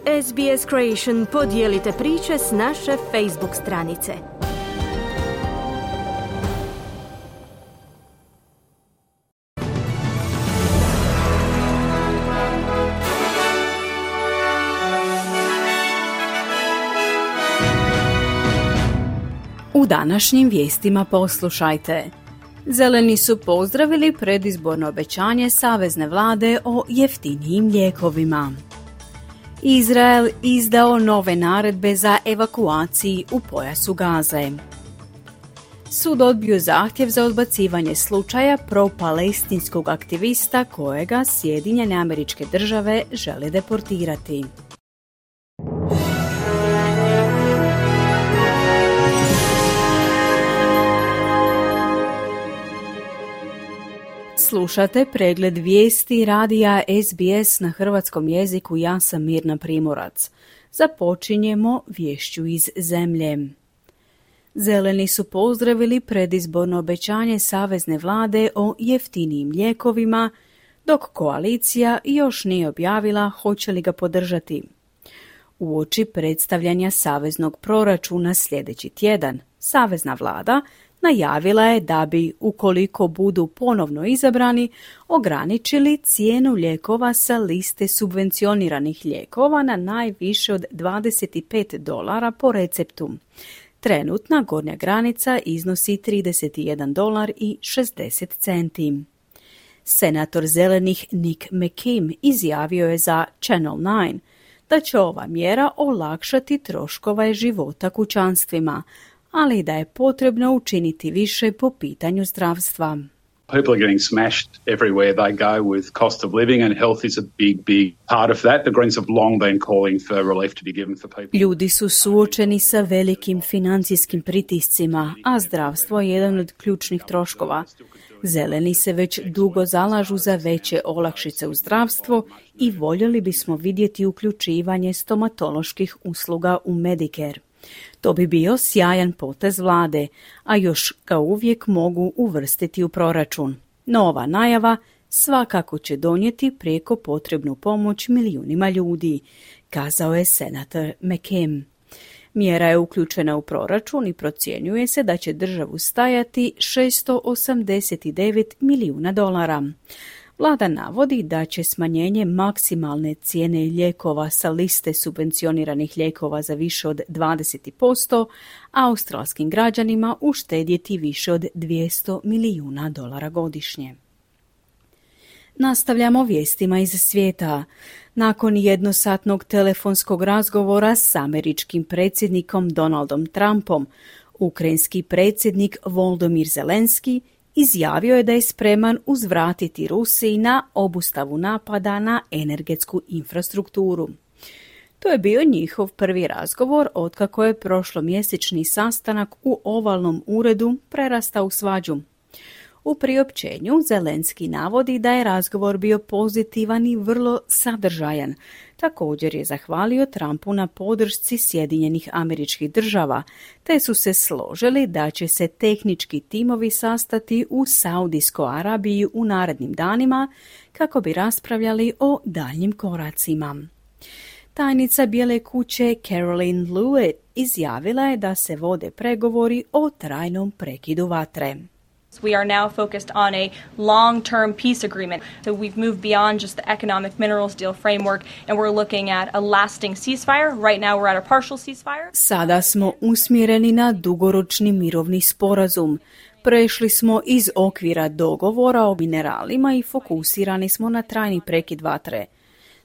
SBS Creation podijelite priče s naše Facebook stranice. U današnjim vijestima poslušajte. Zeleni su pozdravili predizborno obećanje savezne vlade o jeftinijim lijekovima. Izrael izdao nove naredbe za evakuaciji u pojasu Gaze. Sud odbio zahtjev za odbacivanje slučaja pro-palestinskog aktivista kojega Sjedinjene Američke Države žele deportirati. Slušate pregled vijesti radija SBS na hrvatskom jeziku. Ja sam Mirna Primorac. Započinjemo vješću iz zemlje. Zeleni su pozdravili predizborno obećanje savezne vlade o jeftinijim lijekovima, dok koalicija još nije objavila hoće li ga podržati. Uoči predstavljanja saveznog proračuna sljedeći tjedan, savezna vlada najavila je da bi, ukoliko budu ponovno izabrani, ograničili cijenu lijekova sa liste subvencioniranih lijekova na najviše od $25 po receptu. Trenutna gornja granica iznosi $31.60. Senator zelenih Nick McKim izjavio je za Channel 9 da će ova mjera olakšati troškove života kućanstvima, ali da je potrebno učiniti više po pitanju zdravstva. People are getting smashed everywhere they go with cost of living, and health is a big part of that. The Greens have long been calling for relief to be given for people. Ljudi su suočeni sa velikim financijskim pritiscima, a zdravstvo je jedan od ključnih troškova. Zeleni se već dugo zalažu za veće olakšice u zdravstvo i voljeli bismo vidjeti uključivanje stomatoloških usluga u Medicare. To bi bio sjajan potez vlade, a još ga uvijek mogu uvrstiti u proračun. No ova najava svakako će donijeti prijeko potrebnu pomoć milijunima ljudi, kazao je senator McKim. Mjera je uključena u proračun i procjenjuje se da će državu stajati $689 milijuna. Vlada navodi da će smanjenje maksimalne cijene lijekova sa liste subvencioniranih lijekova za više od 20% australskim građanima uštedjeti više od $200 milijuna godišnje. Nastavljamo vijestima iz svijeta. Nakon jednosatnog telefonskog razgovora s američkim predsjednikom Donaldom Trumpom, ukrajinski predsjednik Volodymyr Zelenski izjavio je da je spreman uzvratiti Rusiji na obustavu napada na energetsku infrastrukturu. To je bio njihov prvi razgovor otkako je prošlomjesečni sastanak u ovalnom uredu prerastao u svađu. U priopćenju Zelenski navodi da je razgovor bio pozitivan i vrlo sadržajan. Također je zahvalio Trumpu na podršci Sjedinjenih Američkih Država, te su se složili da će se tehnički timovi sastati u Saudijskoj Arabiji u narednim danima kako bi raspravljali o daljnjim koracima. Tajnica Bijele kuće Caroline Lewitt izjavila je da se vode pregovori o trajnom prekidu vatre. We are now focused on a long-term peace agreement. So we've moved beyond just the economic minerals deal framework and we're looking at a lasting ceasefire. Right now we're at a partial ceasefire. Sada smo usmjereni na dugoročni mirovni sporazum. Prešli smo iz okvira dogovora o mineralima i fokusirani smo na trajni prekid vatre.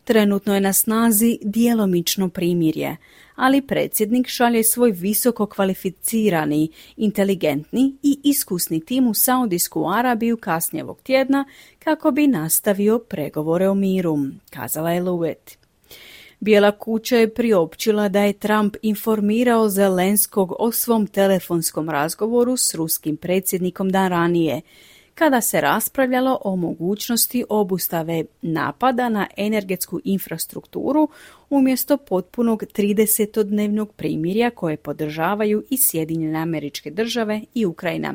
Trenutno je na snazi djelomično primirje, ali predsjednik šalje svoj visoko kvalificirani, inteligentni i iskusni tim u Saudijsku Arabiju kasnije ovog tjedna kako bi nastavio pregovore o miru, kazala je Lewitt. Bijela kuća je priopćila da je Trump informirao Zelenskog o svom telefonskom razgovoru s ruskim predsjednikom dan ranije, kada se raspravljalo o mogućnosti obustave napada na energetsku infrastrukturu umjesto potpunog 30-dnevnog primirja koje podržavaju i Sjedinjene Američke Države i Ukrajina.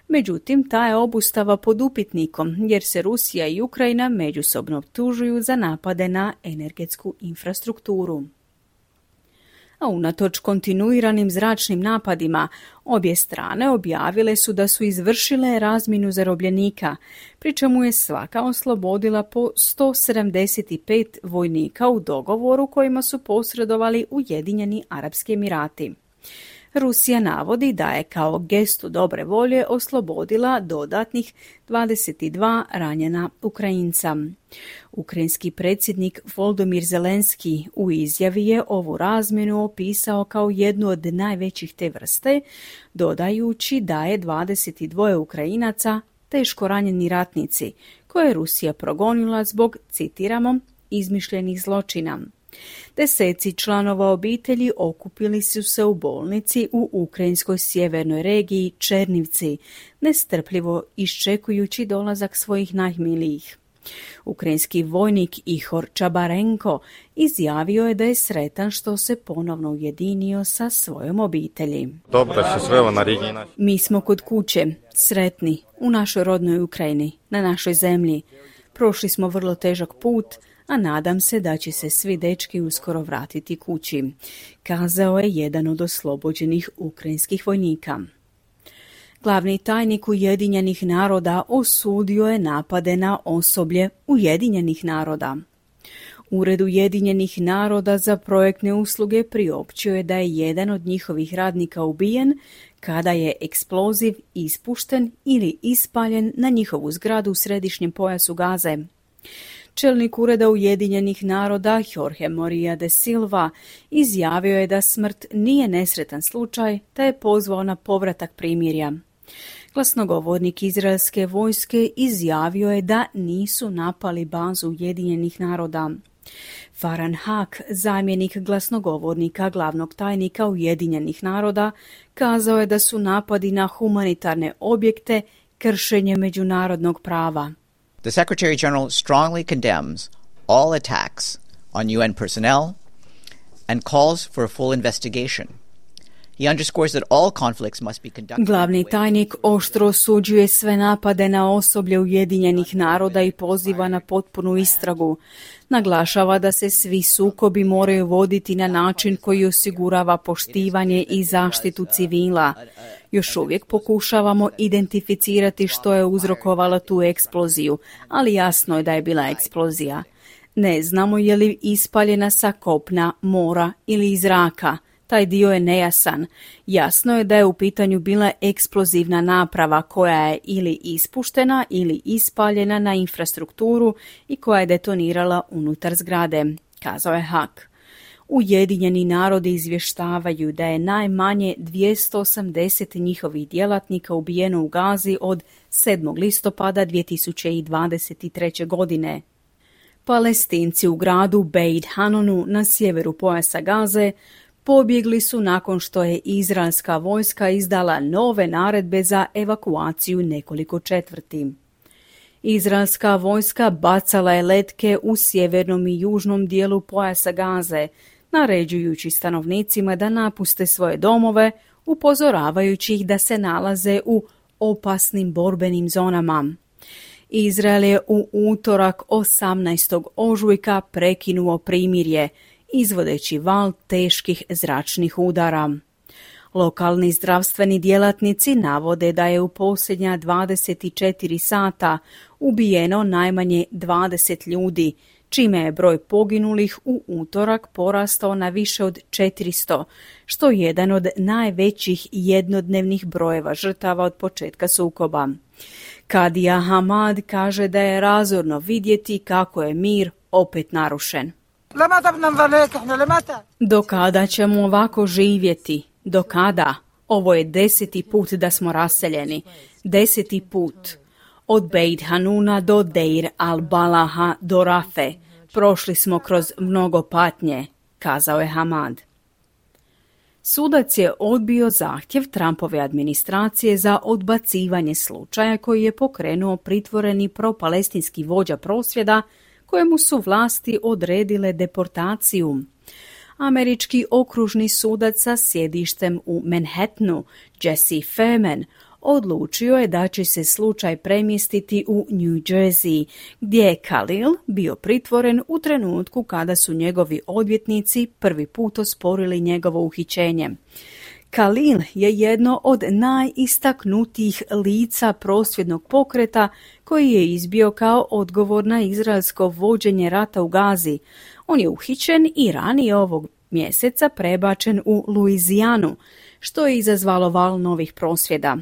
Međutim, ta je obustava pod upitnikom jer se Rusija i Ukrajina međusobno optužuju za napade na energetsku infrastrukturu. A unatoč kontinuiranim zračnim napadima, obje strane objavile su da su izvršile razmjenu zarobljenika, pri čemu je svaka oslobodila po 175 vojnika u dogovoru kojima su posredovali Ujedinjeni Arapski Emirati. Rusija navodi da je kao gestu dobre volje oslobodila dodatnih 22 ranjena Ukrajinca. Ukrajinski predsjednik Volodymyr Zelenski u izjavi je ovu razmjenu opisao kao jednu od najvećih te vrste, dodajući da je 22 Ukrajinaca teško ranjeni ratnici, koje je Rusija progonila zbog, citiramo, izmišljenih zločina. Deseci članova obitelji okupili su se u bolnici u ukrajinskoj sjevernoj regiji Černivci, nestrpljivo iščekujući dolazak svojih najmilijih. Ukrajinski vojnik Ihor Čabarenko izjavio je da je sretan što se ponovno ujedinio sa svojom obitelji. Mi smo kod kuće, sretni, u našoj rodnoj Ukrajini, na našoj zemlji. Prošli smo vrlo težak put, a nadam se da će se svi dečki uskoro vratiti kući, kazao je jedan od oslobođenih ukrajinskih vojnika. Glavni tajnik Ujedinjenih naroda osudio je napade na osoblje Ujedinjenih naroda. Ured Ujedinjenih naroda za projektne usluge priopćio je da je jedan od njihovih radnika ubijen kada je eksploziv ispušten ili ispaljen na njihovu zgradu u središnjem pojasu Gaze. Čelnik Ureda Ujedinjenih naroda Jorge Moria de Silva izjavio je da smrt nije nesretan slučaj, te je pozvao na povratak primirja. Glasnogovornik izraelske vojske izjavio je da nisu napali bazu Ujedinjenih naroda. Farhan Haq, zamjenik glasnogovornika glavnog tajnika Ujedinjenih naroda, kazao je da su napadi na humanitarne objekte kršenje međunarodnog prava. The Secretary General strongly condemns all attacks on UN personnel and calls for a full investigation. He underscores that all conflicts must be conducted. Glavni tajnik oštro osuđuje sve napade na osoblje Ujedinjenih naroda i poziva na potpunu istragu. Naglašava da se svi sukobi moraju voditi na način koji osigurava poštivanje i zaštitu civila. Još uvijek pokušavamo identificirati što je uzrokovalo tu eksploziju, ali jasno je da je bila eksplozija. Ne znamo je li ispaljena sa kopna, mora ili iz zraka. Taj dio je nejasan. Jasno je da je u pitanju bila eksplozivna naprava koja je ili ispuštena ili ispaljena na infrastrukturu i koja je detonirala unutar zgrade, kazao je Haq. Ujedinjeni narodi izvještavaju da je najmanje 280 njihovih djelatnika ubijeno u Gazi od 7. listopada 2023. godine. Palestinci u gradu Beit Hanunu na sjeveru pojasa Gaze pobjegli su nakon što je izraelska vojska izdala nove naredbe za evakuaciju nekoliko četvrti. Izraelska vojska bacala je letke u sjevernom i južnom dijelu pojasa Gaze, naređujući stanovnicima da napuste svoje domove, upozoravajući ih da se nalaze u opasnim borbenim zonama. Izrael je u utorak 18. ožujka prekinuo primirje, izvodeći val teških zračnih udara. Lokalni zdravstveni djelatnici navode da je u posljednja 24 sata ubijeno najmanje 20 ljudi, čime je broj poginulih u utorak porastao na više od 400, što je jedan od najvećih jednodnevnih brojeva žrtava od početka sukoba. Kadija Hamad kaže da je razorno vidjeti kako je mir opet narušen. Do kada ćemo ovako živjeti? Do kada? Ovo je 10. put da smo raseljeni. 10. put. Od Beit Hanuna do Deir al-Balaha do Rafe. Prošli smo kroz mnogo patnje, kazao je Hamad. Sudac je odbio zahtjev Trumpove administracije za odbacivanje slučaja koji je pokrenuo pritvoreni propalestinski vođa prosvjeda kojemu su vlasti odredile deportaciju. Američki okružni sudac sa sjedištem u Manhattanu, Jesse Furman, odlučio je da će se slučaj premjestiti u New Jersey, gdje je Khalil bio pritvoren u trenutku kada su njegovi odvjetnici prvi put osporili njegovo uhićenje. Khalil je jedno od najistaknutijih lica prosvjednog pokreta koji je izbio kao odgovor na izraelsko vođenje rata u Gazi. On je uhićen i ranije ovog mjeseca prebačen u Luizijanu, što je izazvalo val novih prosvjeda.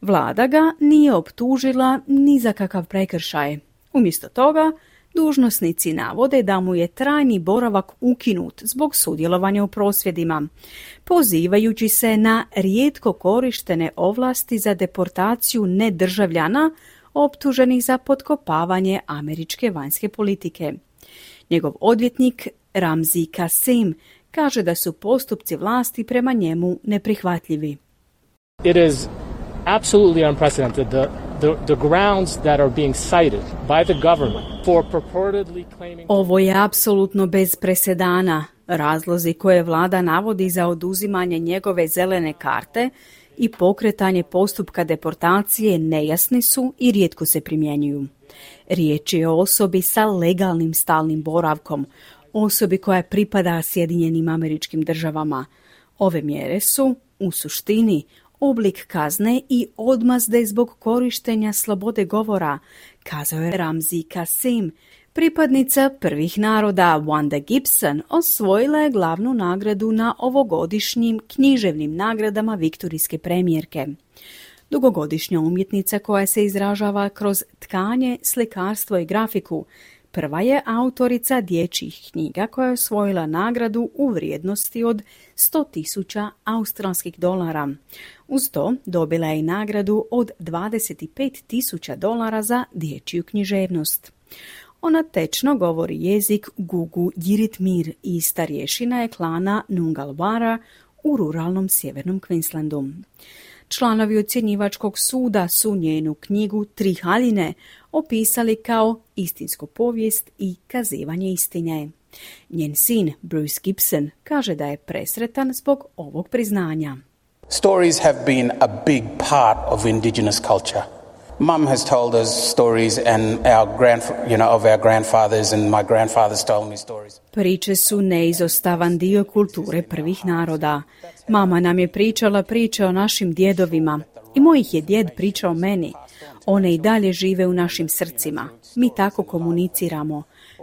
Vlada ga nije optužila ni za kakav prekršaj. Umjesto toga, dužnosnici navode da mu je trajni boravak ukinut zbog sudjelovanja u prosvjedima, pozivajući se na rijetko korištene ovlasti za deportaciju nedržavljana optuženih za potkopavanje američke vanjske politike. Njegov odvjetnik Ramzi Kasim kaže da su postupci vlasti prema njemu neprihvatljivi. It is absolutely unprecedented the grounds that are being cited by the government for purportedly claiming. Ovo je apsolutno bez presedana. Razlozi koje vlada navodi za oduzimanje njegove zelene karte i pokretanje postupka deportacije nejasni su i rijetko se primjenjuju. Riječ je o osobi sa legalnim stalnim boravkom, osobi koja pripada Sjedinjenim Američkim Državama. Ove mjere su, u suštini, oblik kazne i odmazde zbog korištenja slobode govora, kazao je Ramzi Kasim. Pripadnica prvih naroda Wanda Gibson osvojila je glavnu nagradu na ovogodišnjim književnim nagradama viktorijske premijerke. Dugogodišnja umjetnica koja se izražava kroz tkanje, slikarstvo i grafiku, prva je autorica dječjih knjiga koja je osvojila nagradu u vrijednosti od $100,000 australskih dolara. Uz to dobila je i nagradu od $25,000 za dječju književnost. Ona tečno govori jezik Gugu Yiritmir i starješina je klana Nungalwara u ruralnom sjevernom Queenslandu. Članovi ocjenjivačkog suda su njenu knjigu Tri haljine opisali kao istinsku povijest i kazivanje istine. Njen sin Bruce Gibson kaže da je presretan zbog ovog priznanja. Stories have been a big part of Indigenous culture. Mum has told us stories and of our grandfathers, and my grandfather's told me stories. Priče su neizostavan dio kulture prvih naroda. Mama nam je pričala priče o našim djedovima i mojih je djed pričao meni. One i dalje žive u našim srcima. Mi tako komuniciramo.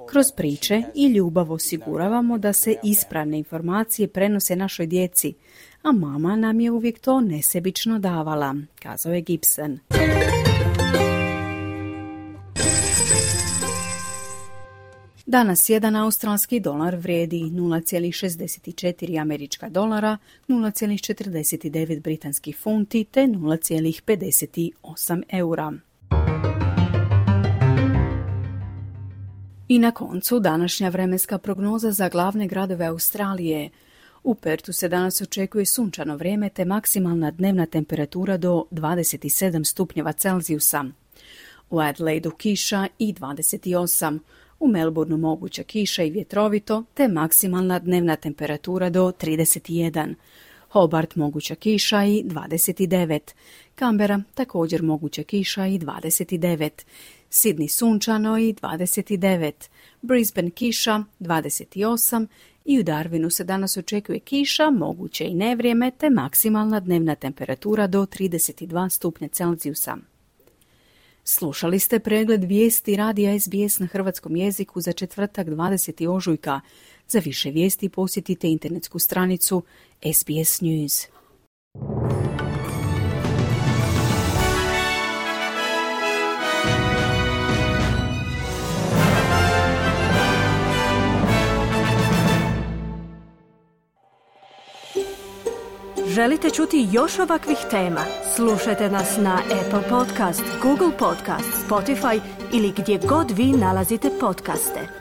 Kroz priče i ljubav osiguravamo da se ispravne informacije prenose našoj djeci, a mama nam je uvijek to nesebično davala, kazao je Gibson. Danas jedan australski dolar vrijedi 0,64 američka dolara, 0,49 britanskih funti te 0,58 eura. I na koncu današnja vremenska prognoza za glavne gradove Australije. U Pertu se danas očekuje sunčano vrijeme te maksimalna dnevna temperatura do 27 stupnjeva Celzijusa. U Adelaidu kiša i 28, u Melbourneu moguća kiša i vjetrovito te maksimalna dnevna temperatura do 31. Hobart moguća kiša i 29. Canberra također moguća kiša i 29. Sydney sunčano i 29. Brisbane kiša 28. I u Darwinu se danas očekuje kiša, moguće i nevrijeme te maksimalna dnevna temperatura do 32 stupnja Celzijusa. Slušali ste pregled vijesti radija SBS na hrvatskom jeziku za četvrtak 20. ožujka. Za više vijesti posjetite internetsku stranicu SBS News. Želite čuti još ovakvih tema? Slušajte nas na Apple Podcast, Google Podcast, Spotify ili gdje god vi nalazite podcaste.